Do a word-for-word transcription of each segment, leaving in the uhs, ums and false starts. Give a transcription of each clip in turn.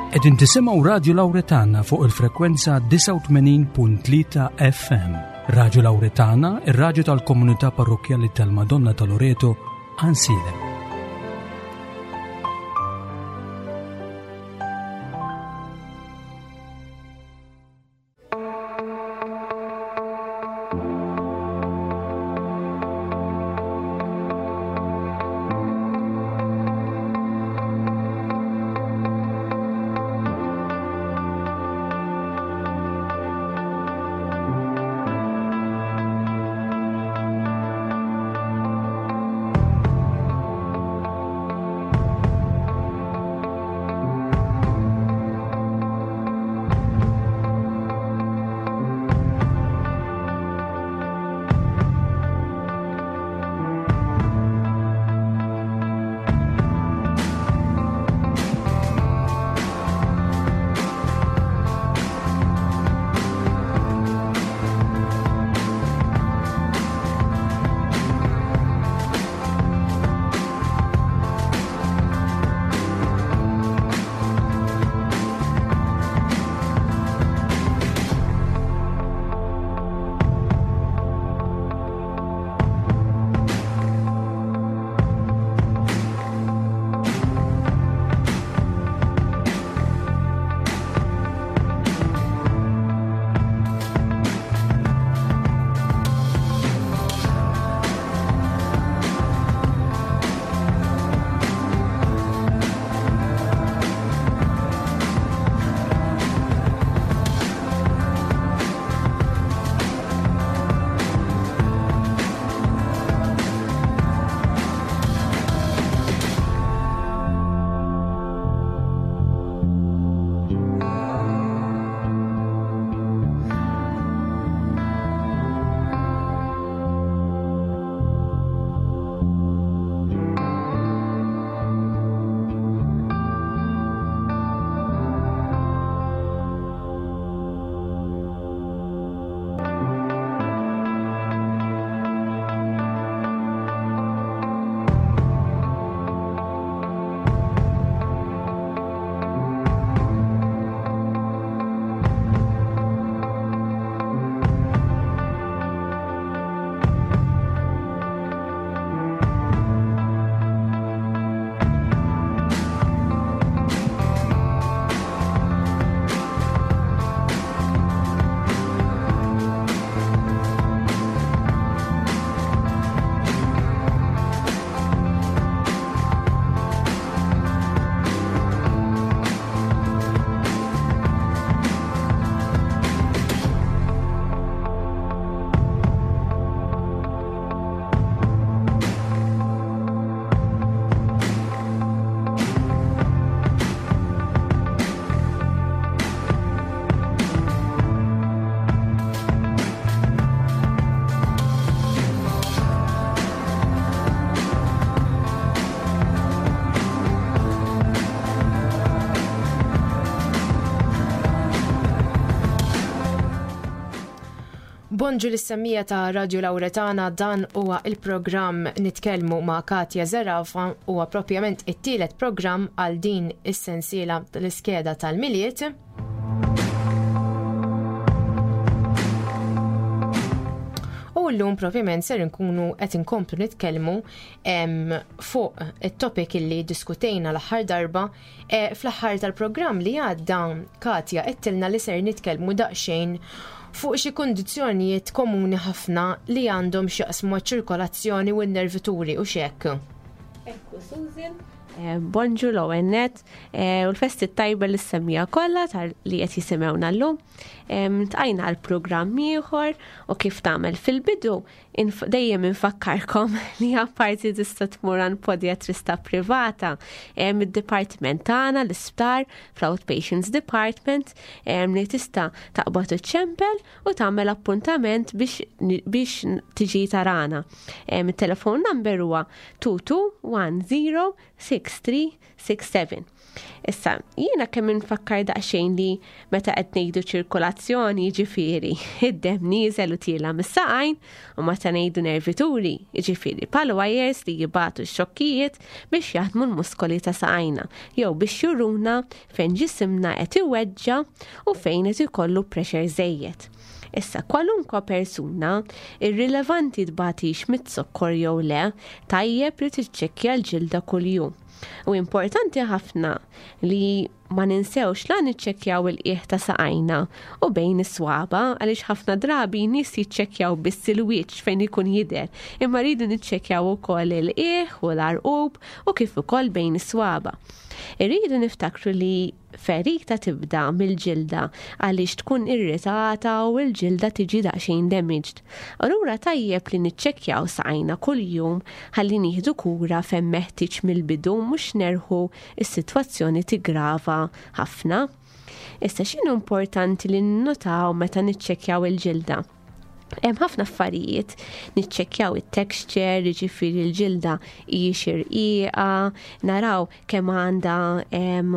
Qegħdin tisimgħu Radio Lauretana fuq il-frekwenza disgħa u tmenin punt tlieta F M. Radio Lauretana, ir-radju tal-Komunità Parrokkjali tal-Madonna ta' Loreto, Għajnsielem. Bonġu lis-semmiegħa ta' Radio Lauretana. Dan huwa il-programm Nitkellmu ma' Katja Zerafa, huwa propjament it-tielet programm għal din is-sensiela tal-iskeda tal-Milied. U llum propjament ser nkunu qed inkomplu nitkellmu fuq it-topic illi diskutejna l-aħħar darba. E, fl-aħħar tal-programm li għadda, Katja għedtilna li ser nitkellmu daqsxejn fuq xi kundizzjonijiet komuni ħafna li għandhom x'jaqsmu ċirkolazzjoni u n-nervituri u xek. Ekku, Susan. Eh, bonġu l-ewwel nett eh, u l-festi tajba lis-semmiegħa kollha li qed jisimgħuna llum. Ltqajna għal programm ieħor u kif tagħmel fil-bidu dejjem infakkarkom li apparti tista' tmur għand podiatrista privata, id-dipartiment tagħna l-isptar fl-Outpatients Department li tista' taqbad iċċempel u tagħmel appuntament biex biex tiġi tarana. Il-telefon number huwa tnejn tnejn wieħed żero sitta six three six seven. Issa, jiena kemm infakkar daqsxejn li meta qed ngħidu ċirkolazzjoni, jiġifieri id-demm nieżel u tiela mis-saqajn, u meta ngħidu nervituri, jiġifieri pal wires li jibgħatu x-xokkijiet biex jaħdmu l-muskoli ta' saqajna, jew biex juruna fejn ġisimna qed iweġġa' u fejn qed ikollu pressure żejjed. Issa, kwalunkwa persuna, irrilevanti tbatix mit-zokkor jew le, tajjeb li tiċċekkja l-ġilda kuljum. U importanti ħafna li ma ninsewx la niċċekkjaw il-qiegħ ta' saqajna u bejn is-swaba, għaliex ħafna drabi nies jiċċekkjaw biss il-wiċċ fejn ikun jidher, imma rridu niċċekkjaw ukoll il-qiegħ u l-għarqub u kif ukoll bejn is-swaba. Irridu niftakru li ferita tibda mill-ġilda għaliex tkun irritata u l-ġilda tiġi daqsxejn damaged. Allura tajjeb li niċċekkjaw saqajna kuljum ħalli nieħdu kura fejn meħtieġ mill-bidu, mhux nerħu s-sitwazzjoni tigrava ħafna. Issa x'inhu importanti li ninnotaw meta niċċekkjaw il-ġilda? Hemm ħafna affarijiet, niċċekkjaw it-texture, jiġifieri l-ġilda hijiex irqiqa, naraw kemm għandha, em,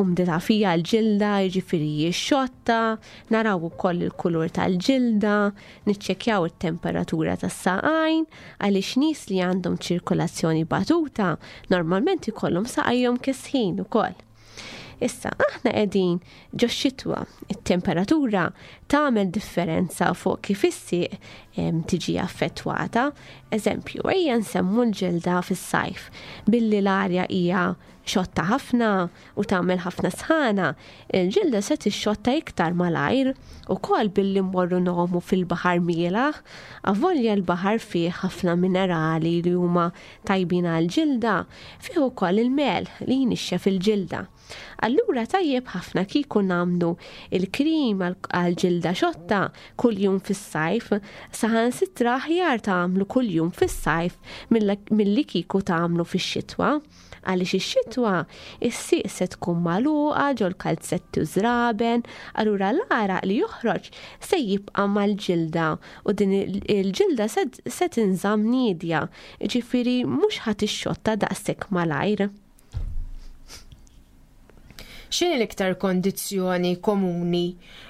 umdità fija l-ġilda, jiġifieri hijiex xotta, naraw ukoll il-kulur tal-ġilda, niċċekkjaw it-temperatura tas-saqajn, għaliex nies li għandhom ċirkolazzjoni batuta normalment ikollhom saqajhom kesħin ukoll. Issa, aħna qegħdin ġo xitwa, it-temperatura tagħmel differenza fuq kif is-sieq, em, tiġi affettwata. Eżempju, ejja nsemmu l-ġilda fis-sajf, billi l-arja hija xotta ħafna u tagħmel ħafna sħana, il-ġilda se tixxotta iktar malajr, ukoll billi mmorru nomu fil-baħar mielaħ, avolja l-baħar fih ħafna minerali li huma tajbin għall-ġilda, fih ukoll il-mel li jnixxef il-ġilda. Allura tajjeb ħafna kieku nagħmlu il-krim għal-ġilda xotta kuljum fis-sajf, saħansitra aħjar tagħmlu kuljum fis-sajf milli kieku tagħmlu fix-xitwa. Għaliex ix-xitwa is-sieq se tkun magħluqa ġol kalzetti u żraben, allura l-għaraq li joħroġ se jibqa' mal-ġilda u din il-ġilda se, se tinżamm niedja, ġifieri mhux ħadd ixxotta daqshekk malajr. X'inhi l-iktar kondizzjoni komuni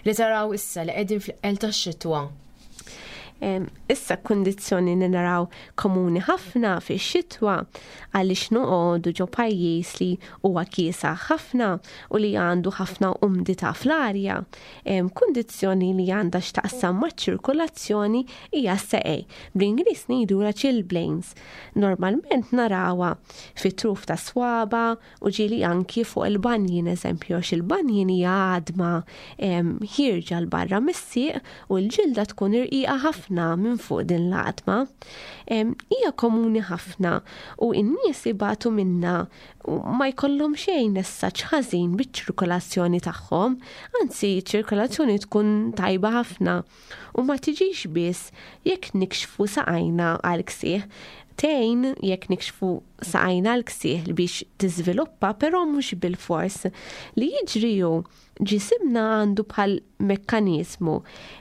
li taraw issa li qegħdin fl-eqel tax-xitwa? Em, issa kundizzjoni li naraw komuni ħafna fix-xitwa għaliex noqogħdu ġo pajjiż li huwa kiesaħ ħafna u li għandu ħafna umdità fl-arja. Em, kundizzjoni li għandha x'taqsam maċ-ċirkolazzjoni hija s-seqej. Bl-Ingliż ngħidulha chilblains. Normalment narawha fit-truf ta' swaba u ġieli anki fuq il-banjin, eżempju, għax il-banjin hija għadma, em, ħierġa l barra mis-sieq u l-ġilda tkun irqiqa ħafna minn fuq din l-għadma. Em, hija komuni ħafna u n-nies ibatu minna u ma jkollhom xejn messaġġ ħażin biċ-ċirkolazzjoni tagħhom, anzi ċ-ċirkolazzjoni tkun tajba ħafna u ma tiġix biss jekk nikxfu saqajna għal ksieħ. Tgħin jekk nikxfu saqajna għal ksieħ biex tiżviluppa, però mhux bil-fors. Li jiġri hu ġisimna għandu bħal mekkaniżmu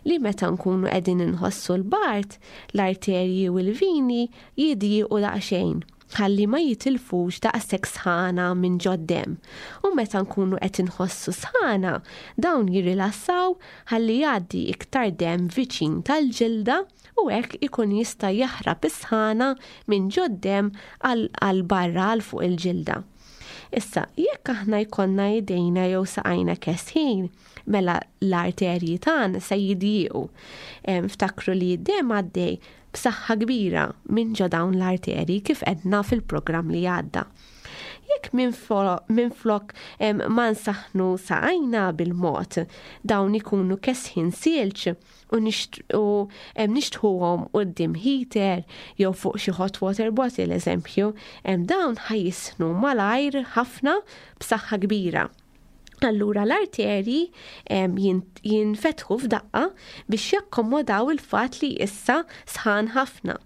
li meta nkunu qegħdin inħossu l-bard, l-arterji u l-vini jidjiequ daqsxejn ħalli ma jitilfux daqshekk sħana minn ġod-demm. U meta nkunu qed inħossu sħana, dawn jirrilassaw ħalli jgħaddi iktar demm viċin tal-ġilda u hekk ikun jista' jaħrab is-sħana minn ġod-demm għal, għal barra għal fuq il-ġilda. Issa, jekk aħna jkollna idejna jew saqajna kesħin, mela l-arterji tagħna se jidjiequ. Em, ftakru li d-demm għaddej b'saħħa kbira minn ġo dawn l-arterji kif għedna fil-programm li għadda. Jekk minflok, em, ma nsaħnu saqajna bil-mod, dawn ikunu kesħin silġ u nisht-, u, em, nixtħuhom quddiem heater jew fuq xi hot water bottle eżempju, em, dawn ħajjisnu malajr ħafna b'saħħa kbira. Allura l-arterji jinfetħu f'daqqa biex jakkomodaw il-fat li issa sħan ħafna.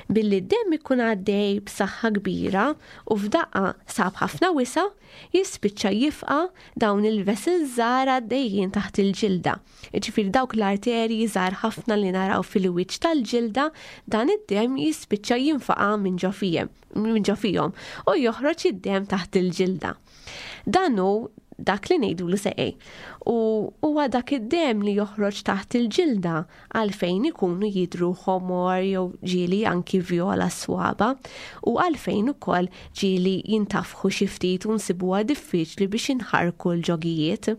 Billi d-demm ikun għaddej b'saħħa kbira u f'daqqa sab ħafna wisa, jispiċċa jifqa dawn il-vessels żgħar għaddejjin taħt il-ġilda. Ġifieri dawk l-arterji żgħar ħafna li naraw fil-wiċċ tal-ġilda, dan id-demm jispiċċa jinfaqa' minn ġo fihom u joħroġ id-demm taħt il-ġilda. Dan hu dak li ngħidulu seqej. U huwa dak id-demm li joħroġ taħt il-ġilda għalfejn ikunu jidru ħomor jew ġieli anki vjola swaba u għalfejn ukoll ġieli jintafħu xi ftit u nsibuha diffiċli biex inħarku l-ġogijiet.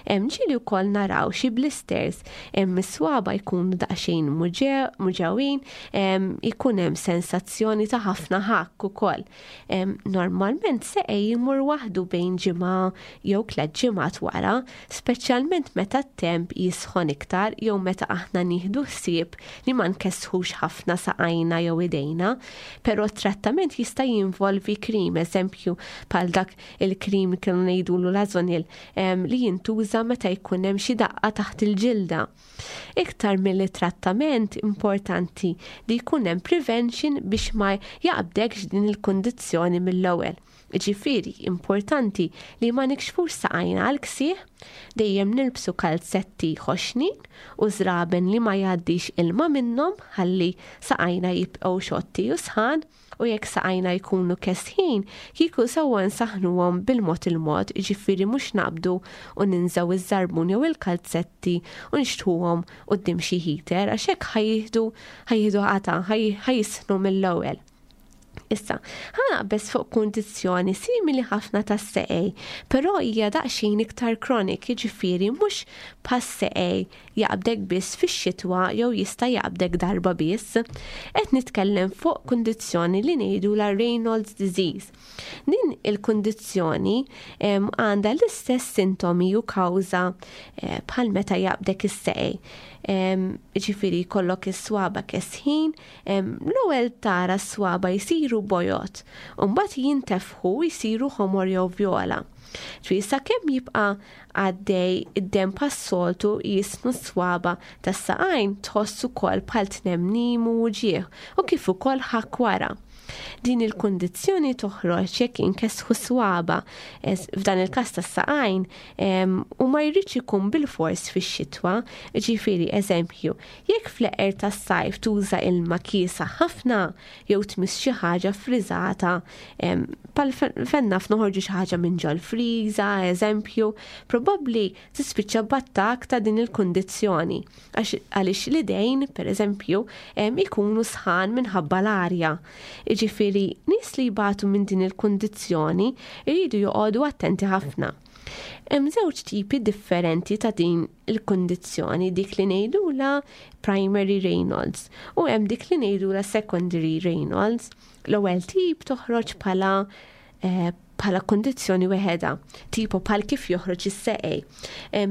Hemm ġieli wkoll naraw xi blisters, hemm is-swaba jkunu daqsxejn muġgħin, ikun hemm sensazzjoni ta' ħafna ħakk ukoll. Normalment seqej jmur waħdu bejn ġimgħa jew tliet ġimgħat wara, speċjalment meta t-temp jisħon iktar jew meta aħna nieħdu ħsieb li ma nkessħux ħafna saqajna jew idejna, però t-trattament jista' jinvolvi krim, eżempju bħal dak il-krim kienu ngħidulu Lasonil li jintuża meta jkun hemm xi daqqa taħt il-ġilda. Iktar milli trattament importanti li jkun hemm prevention biex ma jaqbdekx din il-kundizzjoni mill-ewwel. Ġifieri, importanti li ma nikxfux saqajna għal ksieħ, dejjem nilbsu kalzetti ħoxnin u żraben li ma jgħaddix ilma minnhom ħalli saqajna jibqgħu xotti u sħan, u jekk saqajna jkunu kesħin, kieku sewwa nsaħnuhom bil-mod il-mod, ġifieri mhux naqbdu u ninżaw iż-żarbun jew il-kalzetti u nixtħuhom quddiem xi heater għax hekk ħa jieħdu ħa jieħdu qata, ħa jisħnu mill-ewwel. Issa, ħa naqbeż fuq kundizzjoni simili ħafna tas-seqej, però hija daqsxejn iktar chronic, jiġifieri mhux bħas-seqej jaqbdek biss fix-xitwa jew jista' jaqbdek darba biss. Qed nitkellem fuq kundizzjoni li ngħidu la Raynaud's disease. Din il-kundizzjoni għandha l-istess sintomi u kawża eh, bħal meta jaqbdek is-seqej. Ġifieri jkollok is-swaba kesħin, l-ewwel tara s-swaba jsiru bojod, u mbagħad jintefħu jsiru ħomor jew vjola. Ġifieri sakemm jibqa' għaddej id-demm pas-soltu jisnu s-swaba tas-saqajn tħoss ukoll bħal tnemnim u uġigħ u kif ukoll ħakk wara. Din il-kundizzjoni toħroġ jekk inkesħu swaba, f'dan il-każ tas-saqajn, u ma jridx ikun bil-fors fix-xitwa, ġifieri eżempju, jekk fl-eqer tas-sajf tuża ilma kiesa ħafna jew tmiss xi ħaġa friżata, bħal fenna f'noħorġu xi ħaġa minn ġol-friża, eżempju, probabbli tispiċċa b'attakk ta' din il-kundizzjoni għaliex l-idejn, per eżempju, ikunu sħan minħabba l-arja. Ġifieri, nies li jbatu minn din il-kundizzjoni jridu joqogħdu attenti ħafna. Hemm żewġ tipi differenti ta' din il-kundizzjoni, dik li ngħidulha primary Raynaud's u hemm dik li ngħidulha secondary Raynaud's. L-ewwel tip toħroġ bħala eh, bħala kundizzjoni weħeda, tipo bħal kif joħroġ is-seqej.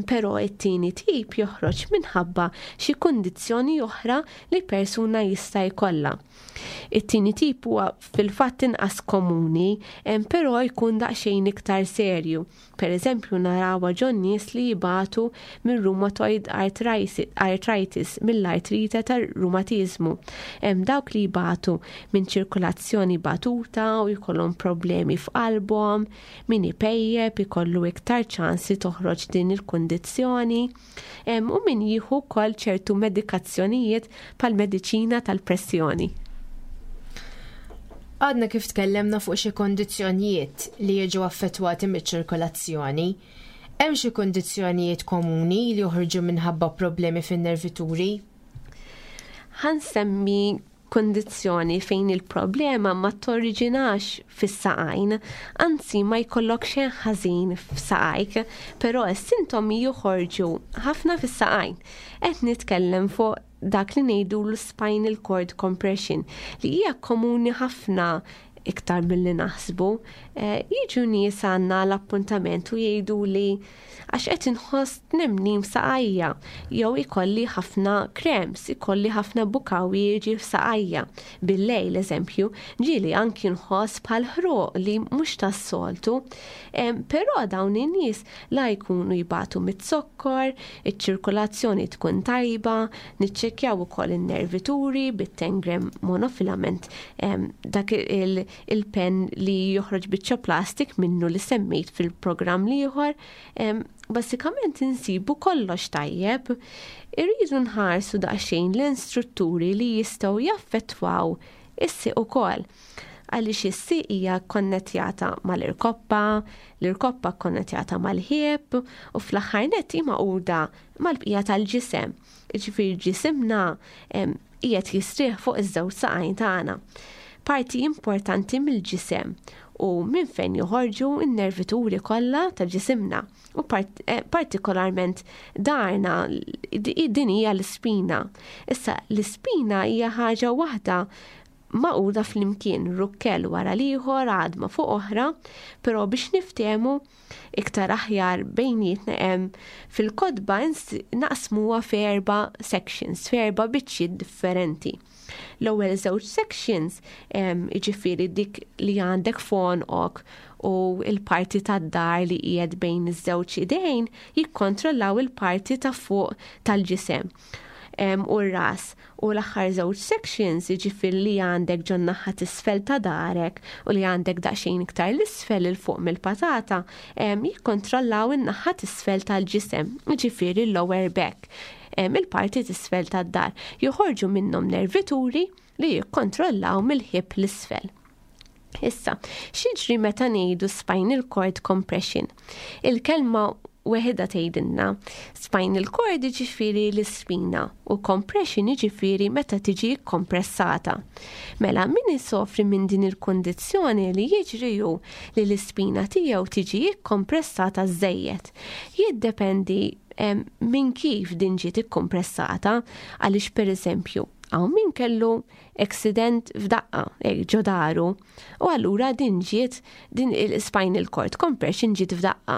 Però it-tieni tip joħroġ minħabba xi kundizzjoni oħra li persuna jista' jkollha. It-tieni tip huwa fil-fatt inqas komuni, però jkun daqsxejn iktar serju. Per eżempju, narawha ġo nies li jibatu minn rheumatoid arthritis, mill-artrite tar-rumatiżmu. Hemm dawk li jibatu minn ċirkolazzjoni batuta u jkollhom problemi f'qalbhom, min ipejjep ikollu iktar ċans li toħroġ din il-kundizzjoni, u min jieħu wkoll ċertu medikazzjonijiet bħal mediċina tal-pressjoni. Għadna kif tkellemna fuq xi kondizzjonijiet li jiġu affettwati miċ-ċirkolazzjoni. Hemm xi kondizzjonijiet komuni li joħorġu minħabba problemi fin-nervituri? Ħa nsemmi kondizzjoni fejn il-problema ma torriġinax fis-saqajn, anzi ma jkollok xejn ħażin f'saqajk, però s-sintomi joħorġu ħafna fis-saqajn. Qed nitkellem fuq dak li ngħidu l-spinal cord compression li hija komuni ħafna Iktar milli naħsbu. Eh, jiġu nies għandna l-appuntament u jgħidu li għax qed inħoss tnemnim saqajja, jew ikolli ħafna cramps, ikolli ħafna bukawi f'saqajja. Bil-lejl, eżempju, ġieli anki nħoss bħal ħruq li mhux tas-soltu. Però dawn in-nies la jkunu jbatu mit-sokkor, iċ-ċirkolazzjoni tkun tajba, niċċekkjaw ukoll in-nervituri bit-ten gram monofilament, dak il-pen li joħroġ biċċa plastik minnu li semmejt fil-programm l-ieħor. Basikament insibu kollox tajjeb. Irridu nħarsu daqsxejn l-istrutturi li jistgħu jaffettwaw is-sieq ukoll. Għaliex is-sieq hija konnetjata mal-irkoppa, l-irkoppa konnetjata mal-ħieb u fl-aħħar nett hi magħquda mal-bqija tal-ġisem. Jiġifieri ġisimna qiegħed jistrieħ fuq iż-żewġ saqajn tagħna. Parti importanti mill-ġisem u minn fejn joħorġu n-nervituri kollha ta' ġisimna. U part-, eh, partikolarment darna, din hija l-ispina. Issa l-ispina hija ħaġa waħda magħquda flimkien, rukkel wara l-ieħor, għadma fuq oħra, però biex niftehmu iktar aħjar bejnietna hemm fil-kotba naqsmuha f'erba' sections, f'erba' biċċiet differenti. L-ewwel żewġ sections, jiġifieri dik li għandek f'għonqok u il-parti tad-dar li qiegħed bejn iż-żewġ idejn, jikkontrollaw il-parti ta' fuq tal-ġisem u r-ras. U l-aħħar żewġ sections, jiġifieri li għandek ġo naħa t'isfel ta' darek u li għandek daqsxejn iktar l-isfel 'il fuq mill-patata, jikkontrollaw in-naħa t'isfel tal-ġisem, jiġifieri l-lower back, il-parti t'isfel tad-dar. Joħorġu minnhom nervituri li jikkontrollaw mill-ħib l-isfel. Issa, x'jiġri meta ngħidu spinal cord compression? Il-kelma weħidha tgħidilna spinal cord jiġifieri l-ispina u compression jiġifieri meta tiġi kompressata. Mela min isofri minn din il-kondizzjoni li jiġri hu li l-ispina tiegħu tiġi kompressata żejjed. Jiddependi minn kif din ġiet ikkompressata, għaliex pereżempju hawn min kellu accident f'daqqa, ġo daru, u allura din ġiet, din il-spinal cord compression ġiet f'daqqa.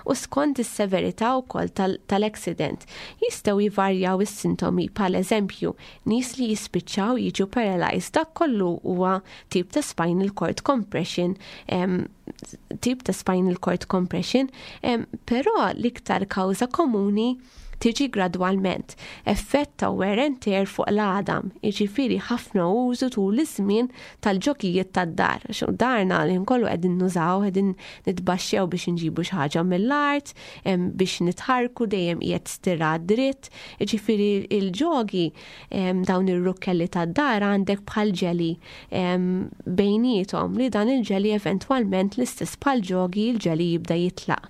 U skont is-severità wkoll tal-accident jistgħu jivarjaw is-sintomi, bħal eżempju nies li jispiċċaw jiġu paralyzed, dak kollu huwa tip ta' spinal cord compression, tip ta' spinal cord compression, però l-iktar kawża komuni tiġi gradwalment, effett ta' wear and tear fuq l-għadam, jiġifieri ħafna użu tul iż-żmien tal-ġokijiet tad-dar. Xo darna li nkollu qegħdin nużaw, qegħdin nitbaxxew biex nġibu xi ħaġa mill-art, biex nitħarku dejjem qiegħed stirat dritt, jiġifieri il-ġogi, dawn ir-rukkelli tad-dar għandek bħal ġeli bejniethom li dan il-ġeli eventwalment l-istess bħal ġogi il-ġeli jibda jitlaq.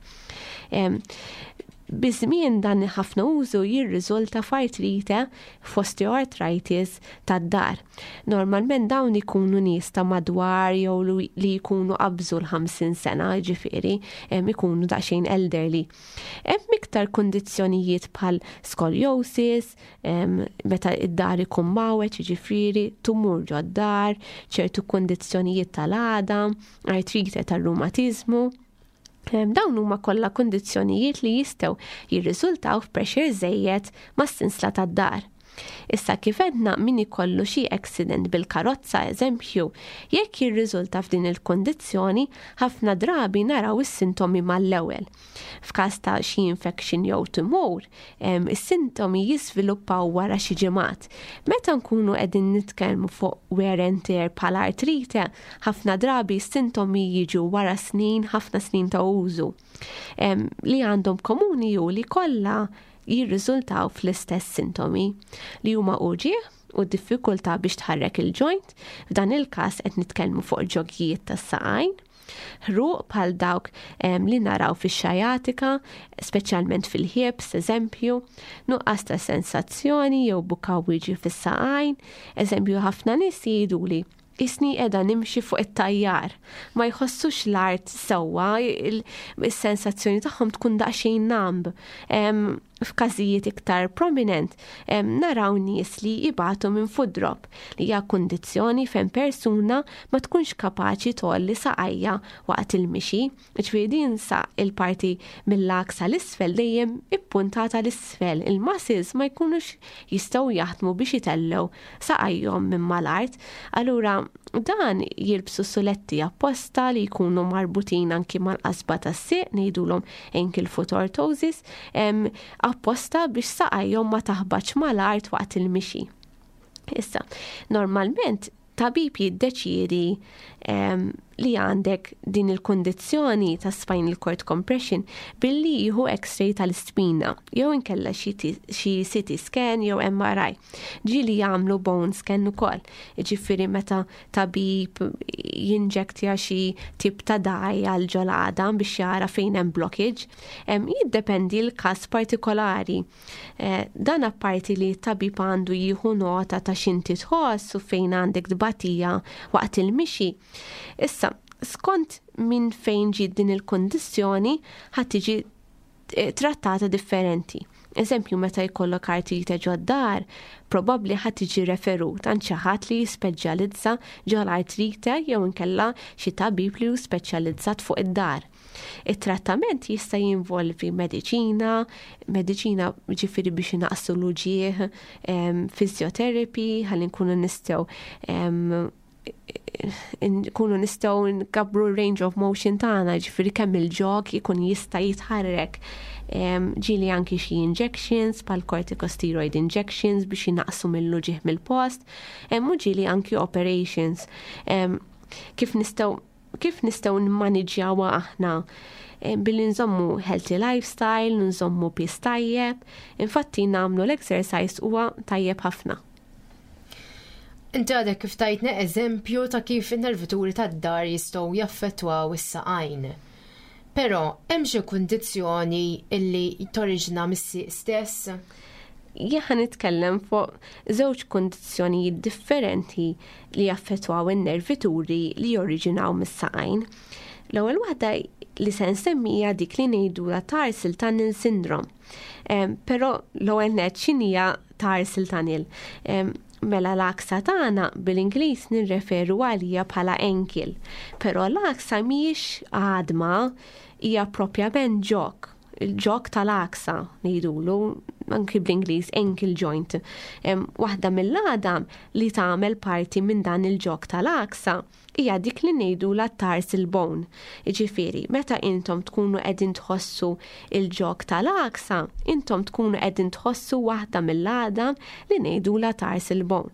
Biż-żmien dan ħafna użu jirriżulta f'artrite, f'osteoarthritis tad-dar. Normalment dawn ikunu nies ta' madwar jew li jkunu qabżu l-ħamsin sena, ġifieri, ikunu daqsxejn elderly. Hemm iktar kundizzjonijiet bħal scoliosis, meta id-dar ikun mawweġ, ġifieri, tumur ġod-dar, ċertu kundizzjonijiet tal-għadam, artrite tar-rumatiżmu. Dawn huma kollha kundizzjonijiet li jistgħu jirriżultaw f'pressure żejjed mas-sinsla tad-dar. Issa kif għedna min ikollu xi accident bil-karozza eżempju, jekk jirriżulta f'din il-kundizzjoni, ħafna drabi naraw is-sintomi mal-ewwel. F'każ ta' xi infection jew tumur, is-sintomi jiżviluppaw wara xi ġimgħat. Meta nkunu qegħdin nitkellmu fuq wear and tear bħala artrite, ħafna drabi s-sintomi jiġu wara snin, ħafna snin ta' użu. Li għandhom komuni hu li kollha jirriżultaw fl-istess sintomi li huma uġigħ u diffikultà biex tħarrek il-joint, f'dan il-każ qed nitkellmu fuq ġogijiet tas-saqajn, ħruq bħal dawk, em, li naraw fix-xajatika, speċjalment fil-hips, eżempju, nuqqas ta' sensazzjoni jew bukawiġi fis-saqajn, eżempju ħafna nies jgħidu li isni qiegħda nimxi fuq it-tajjar, ma jħossux l-art sewwa, il-sensazzjoni tagħhom tkun daqsxejn numb. Em, F'każijiet iktar prominent naraw nies li jibatu minn foot drop, li hija kundizzjoni fejn persuna ma tkunx kapaċi tgħolli saqajja waqt il-mixi, ġifieri din sa il-parti mill-għaksa l-isfel dejjem ippuntata l-isfel, il-muscles ma jkunux jistgħu jaħdmu biex jitellgħu saqajhom minn mal-art. Allura dan jilbsu suletti apposta li jkunu marbutin anki mal-qasba tas-sieq, ngħidulhom ankle foot orthosis, apposta biex saqajhom ma taħbatx mal-art waqt il-mixi. Issa, normalment tabib jiddeċiedi li għandek din il-kondizzjoni ta' spinal cord compression billi jieħu x-ray tal-ispina jew inkella xi C T scan jew M R I. Ġieli jagħmlu bone scan ukoll. Ġifieri meta tabib jinġektja xi tip ta' dye għal ġol-għadam biex jara fejn hemm blockage, jiddependi l-każ partikolari. Eh, dan apparti li tabib għandu jieħu nota ta' x'inti tħoss u fejn għandek tbatija waqt il-mixi. Issa, skont minn fejn ġiet din il-kondizzjoni, ħa tiġi eh, trattata differenti. Eżempju, meta jkollok artrite ġod-dahar, probabbli ħa tiġi referut għand xi ħadd li jispeċjalizza ġol-artrite jew inkella xi tabib li hu speċjalizzat fuq id-dahar. Il-trattament jista' jinvolvi mediċina, mediċina ġifieri biex inaqqsu l-uġigħ, physiotherapy, ħalli nkunu nistgħu nkunu nistgħu nkabbru range of motion tagħna, ġifieri kemm il-ġog ikun jista' jitħarrek. Ġieli anki xi injections bħal corticosteroid injections biex jinaqsu mill-uġigħ mill-post, u ġieli anki operations. Kif nistgħu kif nistgħu nimmaniġġjawha aħna? Billi nżommu healthy lifestyle, nżommu piż tajjeb, infatti nagħmlu l-exercise huwa tajjeb ħafna. Inti għadek kif tajtna eżempju ta' kif in-nervituri tad-dahar jistgħu jaffettwaw is-saqajn. Però hemm xi kundizzjoni illi toriġina mis-sieq stess? Jien nitkellem fuq żewġ kundizzjonijiet differenti li jaffettwaw in-nervituri li joriġinaw mis-saqajn. L-ewwel waħda li se nsemmija dik li ngħidulha tarsal tunnel syndrome. Però l-ewwel nett, x'inhija tarsal tunnel? Mela l-għaksa tagħna bil-Ingliż nirreferu għalija bħala ankle, però l-għaksa mhijiex għadma, hija propjament ġog, il-ġog tal-għaksa ngħidulu anki bl-Ingliż ankle joint. Waħda mill-għadam li tagħmel parti minn dan il-ġog tal-għaksa hija dik li ngħidulha tarsal bone. Jiġifieri, meta intom tkunu qegħdin tħossu il-ġog tal-għaksa, intom tkunu qegħdin tħossu waħda mill-għadam li ngħidulha tarsal bone.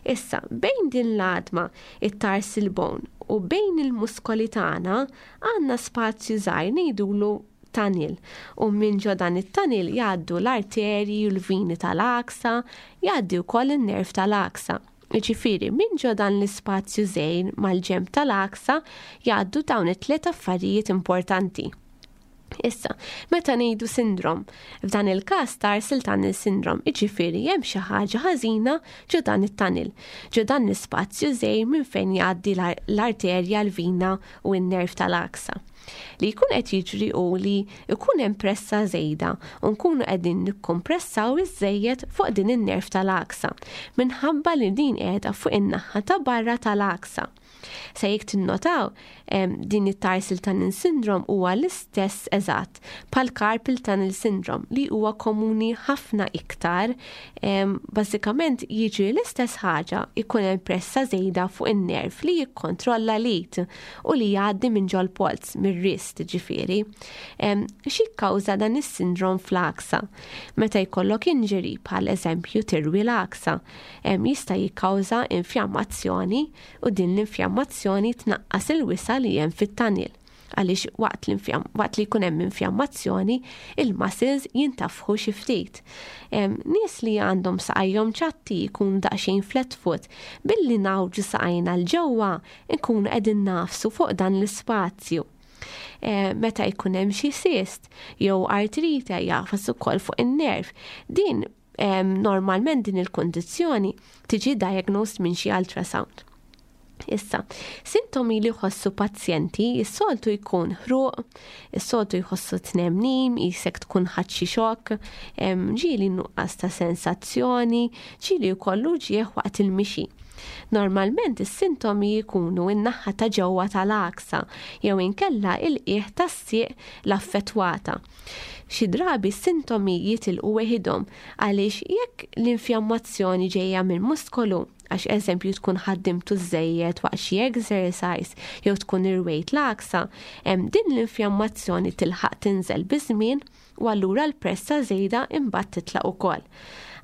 Issa, bejn din l-għadma, it-tarsal bone, u bejn il-muskoli tagħna għandna spazju żgħir ngħidulu tunnel, u minn ġo dan it-tunnel jgħaddu l-arterji u l-vini tal-għaksa, jgħaddi wkoll in-nerv tal-għaksa. Ġifieri, minn ġo dan l-ispazju żgħir mal-ġenb tal-għaksa jgħaddu dawn it-tliet affarijiet importanti. Issa, meta ngħidu sindrom, f'dan il-każ tarsal tunnel syndrome, jiġifieri hemm xi ħaġa ħażina ġo dan it-tunnel, ġo dan l-ispazju żgħir minn fejn jgħaddi l-arterja, l-vina u n-nerv tal-għaksa. Li jkun qed jiġri u li jkun hemm pressa żejda u nkunu qegħdin nikkompressaw iż-żejjed fuq din in-nerv tal-għaksa minħabba li din qiegħda fuq in-naħa ta' barra tal-għaksa. Se jekk tinnotaw, din it-tarsal tunnel syndrome huwa l-istess eżatt bħal carpal tunnel syndrome li huwa komuni ħafna iktar. Bażikament jiġri l-istess ħaġa, ikun hemm pressa żejda fuq in-nerv li jikkontrolla l-id u li jgħaddi minn ġol-polz, mir-wrist ġifieri. Xi kkawża dan is-sindrom fl-għaksa? Meta jkollok injury, bħal eżempju tirwi l-għaksa, jista' jikkawża infjammazzjoni u din l-infjammazzjoni tnaqqas il-wisa li hemm fit-tunnel għaliex waqt, waqt li jkun hemm infjammazzjoni il-muscles jintafħu xi ftit. Nies li għandhom saqajhom ċatti, jkun daqsxejn flat foot, billi ngħawġu saqajna 'l ġewwa nkunu qegħdin nagħfsu fuq dan l-ispazju. Meta jkun hemm xi cyst jew artrite jagħfas ukoll fuq in-nerv. Din normalment din il-kondizzjoni tiġi diagnosed minn xi ultrasound. Issa, sintomi li jħossu pazjenti, is-soltu jkun ħruq, is-soltu jħossu tnemnim, jisek tkun ħadt xi xokk, ġieli nuqqas ta' sensazzjoni, ġieli jkollu ġieħ waqt il-mixi. Normalment is-sintomi jkunu in-naħa ta' ġewwa tal-għaksa jew inkella il-qiegħ tas-sieq l-affettwata. Xi drabi s-sintomi jitilqu weħidhom għaliex jekk l-infjammazzjoni ġejja minn muskolu, għax eżempju tkun ħaddimtu żejjed waqt xi exercise jew tkun irwejt l-għaksa, din l-infjammazzjoni tilħaq tinżel biż-żmien u allura l-pressa żejda imbagħad titlaq ukoll.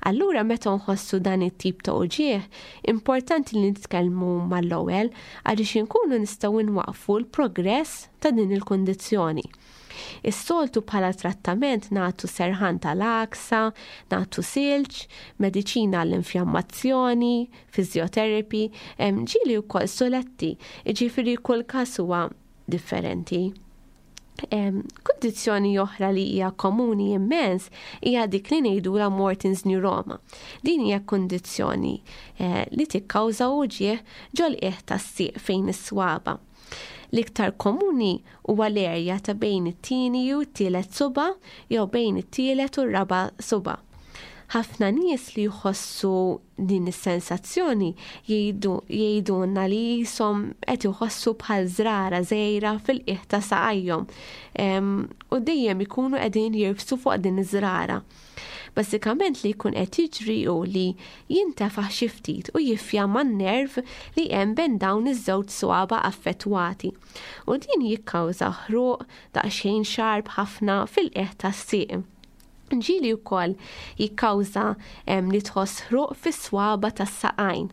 Allura meta nħossu dan it-tip ta' uġieħ, importanti li nitkellmu mal-ewwel għaliex inkunu nistgħu nwaqfu l-progress ta' din il-kundizzjoni. Is-soltu bħala trattament nagħtu serħan tal-għaksa, nagħtu silġ, mediċina għall-infjammazzjoni, physiotherapy, ġieli wkoll soletti, jiġifieri kull każ huwa differenti. Kundizzjoni oħra li hija komuni immens hija dik li ngħidulha Morton's neuroma. Din hija kundizzjoni eh, li tikkawża uġieħ ġol-qiegħ tas-sieq fejn is-swaba. L-iktar komuni huwa l-erja ta' bejn it-tieni u t-tielet suba jew bejn it-tielet u r-raba' suba. Ħafna nies li jħossu din is-sensazzjoni jgħidulna li jisom qed iħossu bħal żrara żgħira fil-qiegħ ta' saqajhom u dejjem ikunu qegħdin jirfsu fuq din iż-żrara. Bażikament li jkun qed jiġri hu li jintefaħ xi ftit u jiffjamma n-nerv li hemm bejn dawn iż-żewġ swaba affettwati. U din jikkawża ħruq daqsxejn xarb ħafna fil-qiegħ tas-sieq. Ġieli wkoll jikkawża li tħoss ħruq fis-swaba tas-saqajn.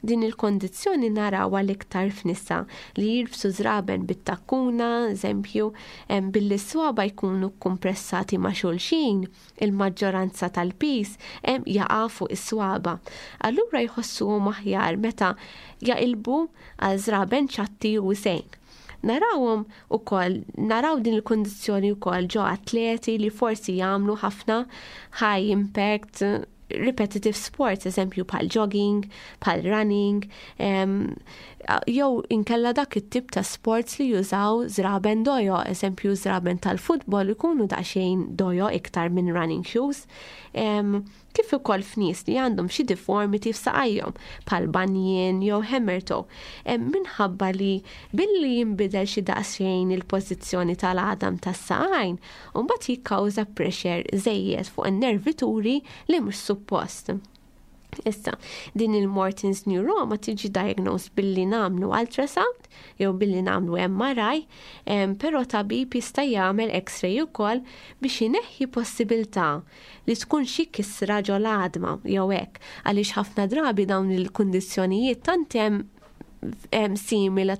Din il-kondizzjoni narawha l-iktar f'nisa li jilbsu żraben bit-takkuna, eżempju, billi s-swaba jkunu kompressati ma' xulxin, il-maġġoranza tal-pis jaqa' fuq is-swaba. Allura jħossuhom aħjar meta jaqilbu għal żraben ċatti u sejn. Narawhom ukoll, naraw din il-kundizzjoni wkoll ġo atleti li forsi jagħmlu ħafna high impact repetitive sports, eżempju bħal jogging, bħal running, jew inkella dak it-tip ta' sports li jużaw żraben dojo, eżempju żraben tal-futbol ikunu daqsxejn dojo iktar minn running shoes. Kif ukoll f'nies li għandhom xi deformity f'saqajhom bħal bunion jew hammer toe, minħabba li billi jinbidel xi daqsxejn il-pożizzjoni tal-għadam tas-saqajn, u mbagħad jikkawża pressure żejjed fuq in-nervituri li mhux suppost. Issa, din il-Morton's neuroma tiġi diagnosed billi nagħmlu ultrasound jew billi nagħmlu M R I, però tabib jista' jagħmel X-ray ukoll biex ineħħi possibilità li tkun xi kisra ġol-għadma jew hekk, għaliex ħafna drabi dawn il-kundizzjonijiet tant hemm simili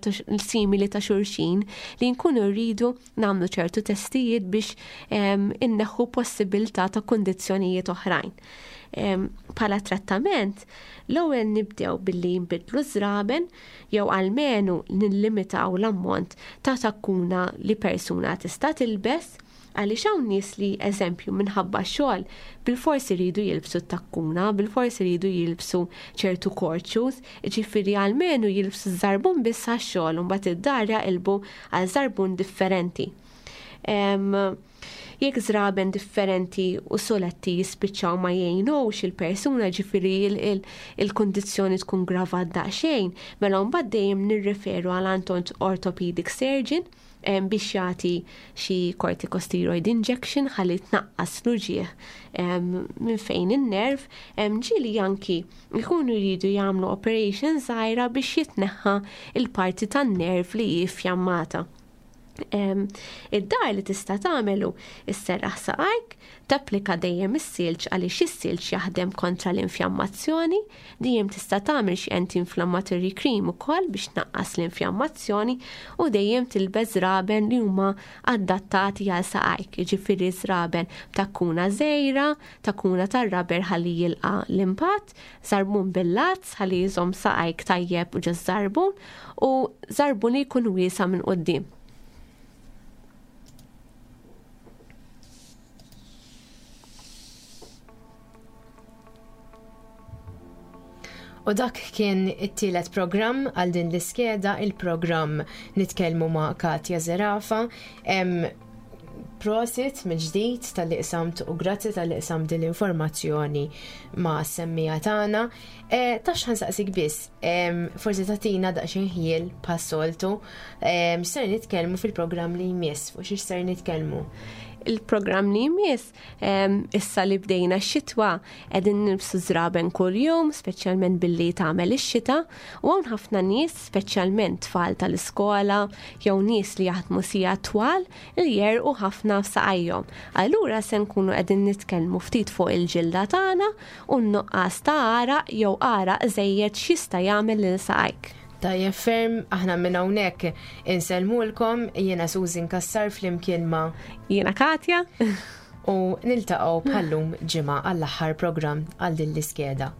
ta' xulxin li nkunu rridu nagħmlu ċertu testijiet biex inneħħu possibilità ta' kundizzjonijiet oħrajn. Bħala trattament, l-ewwel nibdew billi nbidlu żraben jew almenu nillimitaw l-ammont ta' takkuna li persuna tista' tilbes, għaliex hawn nies li eżempju minħabba xogħol bilfors iridu jilbsu takkuna, bilfors iridu jilbsu ċertu court shoes, ġifieri almenu jilbsu żarbun biss għax-xogħol u mbagħad id-dar jaqilbu għal żarbun differenti. Jekk żraben differenti u soletti jispiċċaw ma jgħinux il-persuna, ġifieri il-kundizzjoni tkun gravat daqsxejn, mela mbagħad dejjem nirreferu għal orthopedic surgeon biex jagħti xi corticosteroid injection ħalli tnaqqas l-uġieħ minn fejn in-nerv. Ġieli anki jkunu jridu jagħmlu operation żgħira biex jitneħħa il-parti tan-nerv li hi fjammata. Id-dar li tista' tagħmelu isserraħ saqajk, tapplika dejjem is-silġ għaliex is-silġ jaħdem kontra l-infjammazzjoni, dejjem tista' tagħmel xi anti-inflammatory cream ukoll biex tnaqqas l-infjammazzjoni u dejjem tilbes żraben li huma adattati għal saqajk, jiġifieri żraben takkuna żgħira, takkuna tar-rubber ħalli jilqa' l-impatt, żarbun bil-lazz ħalli jżomm saqajk tajjeb u ġo żarbun u żarbun li jkun wiesa' minn quddiem. U dak kien it-tielet programm għal din l-iskeda, il-programm Nitkellmu ma' Katja Zerafa. Em, prosit mill-ġdid talli qsamt u grazzi talli qsamt din l-informazzjoni mas-semmiegħa tagħna. E, Tax ħa nsaqsik biss, em, forsi tagħtina daqsxejn ħjiel bħas-soltu, em, ser nitkellmu fil-programm li jmiss, fuq xiex ser nitkellmu? Il-programm li jmiss, em, issa li bdejna x-xitwa, qegħdin nilbsu żraben kuljum, speċjalment billi tagħmel ix-xita, u hawn ħafna nies, speċjalment tfal tal-iskola, jew nies li jaħdmu sigħat twal, li jegħrqu ħafna f'saqajhom. Allura se nkunu qegħdin nitkellmu ftit fuq il-ġilda tagħna u n-nuqqas ta' għaraq jew għaraq żejjed x'jista' jagħmel lil saqajk. Tajjeb ferm, aħna minn hawnhekk insellmulkom, jiena Susan Kassar flimkien ma' Jiena Katja. U niltaqgħu bħallum ġimgħa għall-aħħar programm għal din l-iskeda.